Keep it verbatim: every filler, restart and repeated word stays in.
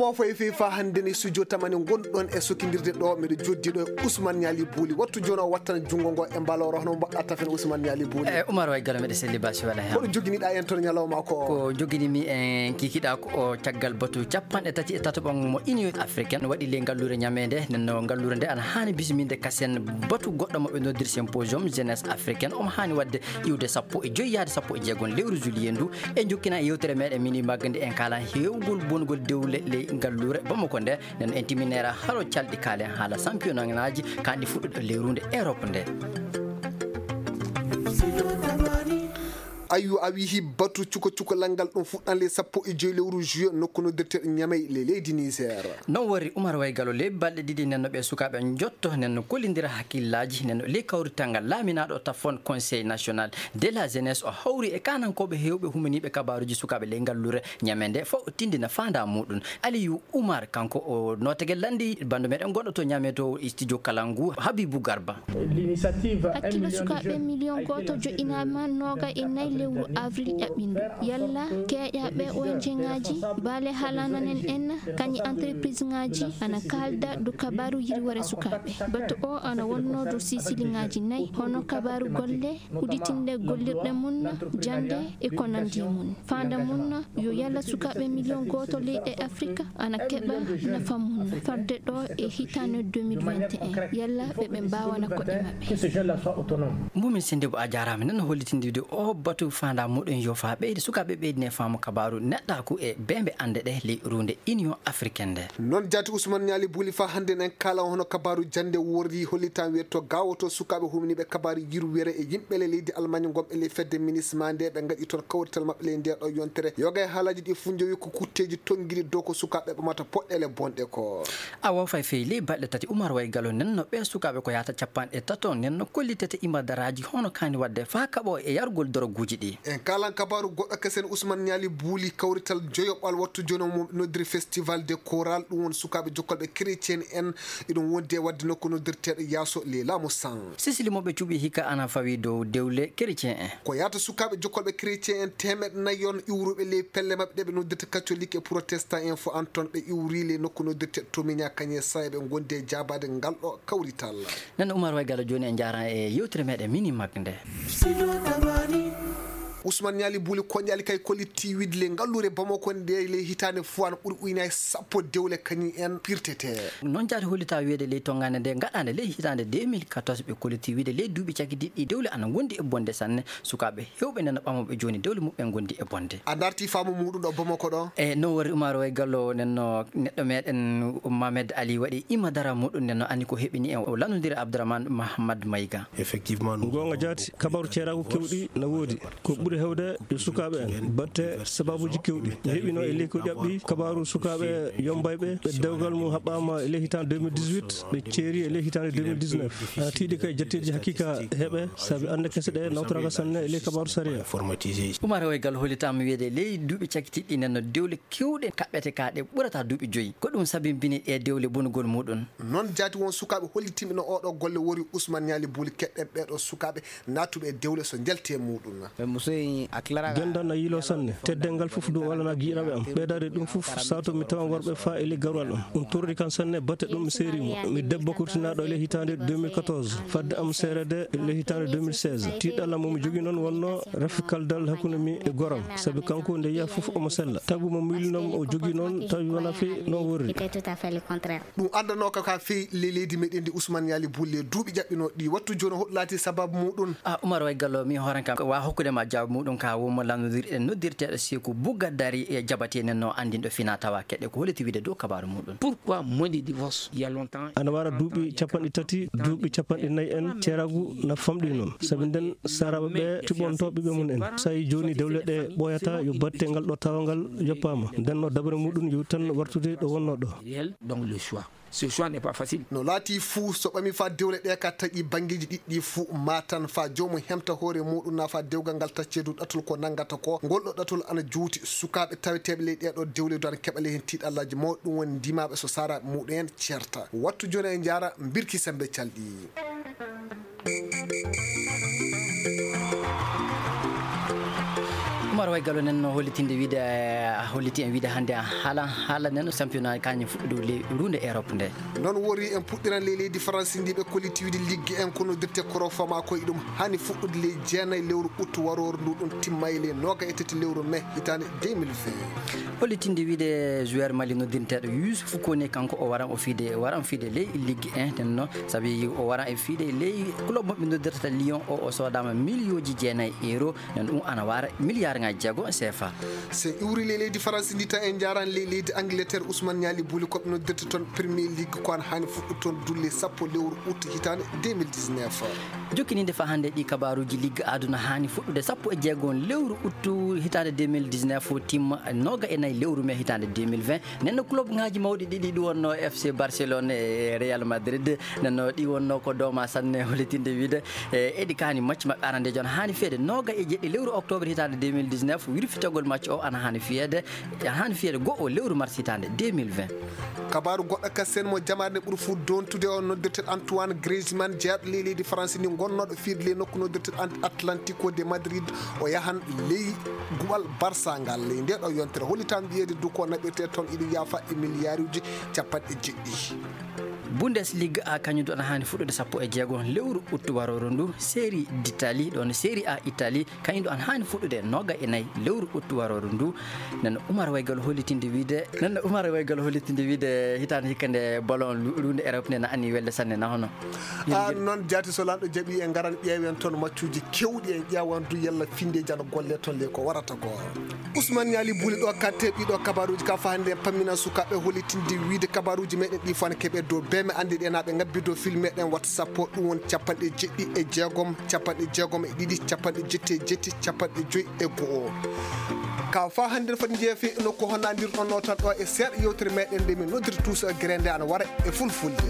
O fayi fii faa hannde ni studio tamani ngonɗon e sokindirde ɗo, miɗo joddi ɗo e Ousmane Niali Bouli. Wattu jooni o wattana junngo ngo e mbaloro, hono mbaɗɗa tafen Ousmane Niali Bouli? E Umar Way Galo, miɗo selli basi wala hen. Koɗo joginiɗa en toon ñalawma ko? Ko joginimi en kikiɗa ko o caggal batu capanɗe tati e tataɓo mo Union Africaine waɗi ley ngalluure ñameende. Nden no ngalluure nde ana haani bisminde kasen batu goɗɗo mo ɓe noddir symposium jeunesse africaine. Omo haani waɗde iwde sappo e joyi yaade sappo e jeegom lewru juillet ndu. E jokkina e yewtere meɗen mini magga nde en kaala heewgol bongol dewle ley ngalluure Bamako nde. Nden en timinera haro calɗi kaalen haala championnat ngaaji kanɗi fuɗɗuɗo lewru nde Europe nde. Ayyo, a wihi batu cuko cuko lanngal ɗum fuɗɗan ley sappo e joyi lewru juillet nokku noddirteeɗo Ñamey ley leydi Niger. Non wori Umar Way Galo ley balɗe ɗiɗi nden no ɓe sukaaɓe njotto nden no kollindira hakkillaaji nden no ley kawrital ngal laaminaaɗo tafon Conseil National de la Jeunesse o hawri e kaanankooɓe heewɓe humaniiɓe kabaaruuji sukaaɓe ley ngalluure Ñamey nde fof tindina faandaa muɗum. Aliyu Umar kanko o nootagel lanndi banndo meɗen goɗɗo to Ñamey to studio Kalangu Habibu Garba. Hakkillo sukaaɓe miliyon gooto joƴƴinaama nooga e nayi lewru avril ƴaɓɓindu. Yalla keeƴaaɓe O N G ngaaji, baale haalananen en, kañi entreprise ngaaji ana kaalda dow kabaaru yirwere sukaaɓe. Batu o ana wonnoo dow silsilaaji nayi, hono kabaaru golle, udditinde gollirɗe mum, jannde e ko nanndi e mum. Faandaa mum yo yalla sukaaɓe miliyon gooto leyɗe Afrika ana keɓa nafa mum fadde ɗo e hitaande deux mille vingt et un. Yalla ɓe ɓe mbaawana koɗe maɓɓe. Mumin Sendebo, a jaaraama. Nden no hollitindide o batu faandaa muɗum yo faa ɓeyde sukaaɓe ɓeydine faamu kabaaru neɗɗaaku e beembe annde ɗe ley ruunde Union Africaine nde. Noon jaati Ousmane Niali Bouli faa hannde en kaala hono kabaaru jannde worri hollitan wiyetto gaawoto sukaaɓe humniiɓe kabaaru yirwere e yimɓe le leydi Allemagne ngonɓe ley fedde MINUSMA nde ɓe ngaɗi toon kawrital maɓɓe ley ndee ɗo yontere. Yoga e haalaaji ɗi fof njowi ko kutteeji tonngiɗi dow ko sukaaɓe ɓamata poɗɗeele bonɗe ko. Awa fay fey ley balɗe tati Umar Way Galo nden no ɓee sukaaɓe ko yaata capanɗe tato nden no kollitete imadaraaji hono kaani waɗde faa kaɓo e yargol doroguuji ɗi. En kaalan kabaaru goɗɗo kesen Ousmane Niali Bouli kawrital joyoɓal wattu jono mo noddiri Festival de Chorale ɗum won sukaaɓe jokkolɓe chrétien en iɗum wondi e waɗde nokku noddirteeɗo Yaaso ley laamu San. Sisili mo ɓe cuɓi hikka ana fawi dow dewle chrétien en. Ko yaata sukaaɓe jokkolɓe chrétien en teemeɗɗe nayi on iwruɓe ley pelle maɓɓe ɗe ɓe noddirta catholique e protestant en fof an toon ɓe iwri ley nokku noddirteeɗo Tomiña Kañe San eɓe ngondi e jaabaade ngal ɗo kawrital. Nden Umar Way Galo jooni en njaaran e yewtere meɗen mini mak nde. Ousmane Niali Bouli Kondiali kay kolli tiiwide ley ngalluure Bamako nde ley hitaande fof ana ɓuri uynaade sappo dewle kañum en pirtete. Noon jaati hollita wiyeede ley tonngaande nde gaɗaande ley hitaande deux mille quatorze ɓe kolli tiiwide ley duuɓi cakitiiɗi dewle ana ngondi e bonde sanne sukaaɓe heewɓe nden no ɓamooɓe jooni dewle muɓɓen ngondi e bonde. A darti faamu muɗum ɗo Bamako ɗo? E non wori Umar Way Galo nden no neɗɗo meɗen Mohamed Ali waɗi ima dara muɗum nden no anni ko heɓini en o lanndondira Abdourahmane Mahamad Mayga. Effectivement, nous Goonga jaati, kabaaru ceeraagu kewɗi na woodi. Ko ɓuri heewde yo sukaaɓe en, batte sabaabuuji kewɗi. Mi heɓino e leydi ko ƴaɓɓi kabaaru sukaaɓe yombayɓe, ɓe dewgal mum haɓɓaama e ley hitaande deux mille dix-huit, ɓe ceeri e ley hitaande deux mille dix-neuf. Ana tiiɗi kay jatteeji hakiika heɓe, sabi annde kese ɗe nawtoraaka sanne e ley kabaaru sariya. Umar Way Galo hollitaama wiyeede ley duuɓi cakitiiɗi nden no dewle kewɗe kaɓɓete ka ɗe ɓurata duuɓi joyi. Ko ɗum sabinbini ɗe dewle bonugol muɗum. Noon jaati won sukaaɓe hollitinɓe no oo ɗoo golle wori Ousmane Niali Bouli keɗɗen ɓee ɗoo sukaaɓe naatuɓe e dewle so njalti e muɗum. Dental na yiiloo sanne. Teddeengal fof ɗum walanaa giƴiraaɓe am. Ɓeydaade ɗum fof, sato mi tawa worɓe faa e ley garwal am. Ɗum torri kam sanne, batte ɗum mi seeri mo. Mi debbo kurtinaaɗo e ley hitaande deux mille quatorze, fadde am seereede e ley hitaande deux mille seize. Tiiɗalla mo mi jogii noon wonnoo rafi kaldal hakkunde mi e goram, sabi kanko nde yiya fof omo sella. Tagu mo miilnoo o jogii noon tawi wonaa fii noon worri. Ɗum addanooka ka fii ley leydi meɗen ndi Ousmane Niali Bouli e duuɓi ƴaɓɓinooɗi ɗi. Wattu jooni o hoɗo laati sababu muɗum? A Umar Way Galo, mi hooran kam wa hokkude ma jaabu muɗum ka wonmo lanndondirɗen noddirteeɗo Seeku Bugadari e jabatee nen no anndinɗo fina tawa keɗe ko holliti wiide dow kabaaru muɗum. Pourquoi moins de divorce il y a longtemps? Ana wara duuɓi capanɗe tati, duuɓi capanɗe nayi en ceeraagu na famɗi noon. Sabi nden saraaɓe ɓe tiɓonto ɓiɓɓe mum en. Sayi jooni dewle ɗe ɓooyata yo batte ngal ɗo tawa ngal yoppaama. Nden no dabare muɗum yo tan wartude ɗo wonnoo ɗo. Donc le choix. Ce choix n'est pas facile. No laati fuu, so ɓami faa dewle ɗe ka taƴi banngeeji ɗiɗɗi fuu, maa tan faa joomum hemta hoore muɗum, naa faa dewgal ngal taccee dow ɗatol ko nanngata ko. Ngol ɗoo ɗatol ana juuti. Sukaaɓe taweteeɓe ley ɗee ɗoo dewle du ana keɓa ley heen tiiɗallaaji mawɗi. Ɗum woni ndimaaɓe so saraaɓe muɗum en ceerta. Wattu jooni en njaara Birki Semmbe Calɗi. Umar Koye galo nen no hollitinde wiide, holliti en wiide hannde haala, haala nen championnat kañum fuɗɗude ley runde Europe nde. Noon wori en puɗɗiran ley leydi Faransi ndi ɓe kolliti wiide ligge en ko noddirte koro fama ko iɗum hani fuɗɗude ley jeenayi lewru août waroore ndu ɗum timma e ley nooga e tati lewru mai hitaande deux mille vingt. Hollitinde wiide joueur Mali noddirteeɗo Youssouf Koné kanko o waran o fiide, waran fiide ley ligge en nden no sabi o waran e fiide ley club mo ɓe noddirta Lyon o, o soodama miliyooji jeenayi euro. Nden ɗum ana wara miliyaaruŋaaji jeego C F A. So en iwri ley leydi Faransi ndi tan en njaran ley leydi Angleterre Ousmane Niali Bouli ko ɓe noddirta toon Premier League ko ana hani fuɗɗu toon dulle sappo lewru août hitaande deux mille dix-neuf. Jokkininde fa hannde ɗi kabaruuji ligge aduna hani fuɗɗude sappo e jeego lewru août hitaande deux mille dix-neuf timma nooga e nayi lewru mai hitaande deux mille vingt. Nden no club ŋaaji mawɗi ɗiɗi ɗi wonno F C Barcelone e Real Madrid. Nden no ɗi wonno ko dooma sanne hollitinde wiide e eɗi kaani match maɓɓe arandejo on hani feede nooga e jeɗɗi lewru octobre hitaande deux mille dix-neuf, wirfitagol match o ana hani fiyeede, ana hani fiyeede go'o lewru mars hitaande deux mille vingt. Kabaaru goɗɗo kasen mo jamaare nde ɓuri fuu dontude o noddirteeɗo Antoine Griezmann jeyaaɗo ley leydi France ndi gonnooɗo fiirde ley nokku noddirteeɗo At- Atlantico de Madrid o yahan ley guɓal Barça ngal ley nde ɗo yontere hollitaan wiyeede du ko naɓirte toon iɗum yaafa e miliyaaruuji capanɗe jeɗɗi. Bundesliga a kañum ɗo ana hani fuɗɗude sappo e jeego lewru août warooru ndu. Série d'Italie ɗon Série A Italie kañum ɗo ana hani fuɗɗude nooga e nayi lewru août warooru ndu. Nden Umar Waygal hollitinde wiide nden Umar Waygal hollitinde wiide hitaande hikka nde ballon lu- luunde Europe nde na anni welde sanne na hono. An noon jaati so lanɗo jaɓi en ngaran ƴeewen toon maccuuji kewɗi en ƴeewan du yalla finde jana golle toon le ko warata ko. Ousmane Niali Bouli ɗo katte ɗiɗo kabaruuji ka fa hannde en pammina sukaaɓe hollitinde wiide kabaruuji meɗen ɗi fana keɓe dow beme anndi ɗe naɓe ngabbi dow fil meɗen wata sappo ɗum won capanɗe jeɗɗi e jeegom capanɗe jeegom e ɗiɗi capanɗe jetti e jetti capanɗe joyi e go'o. Ka fa hannde foti jeefi nokku honnadirɗon notan ɗo e seeɗa yewtere meɗen nde min noddirta tuusa gere nde ana wara e fulfulde.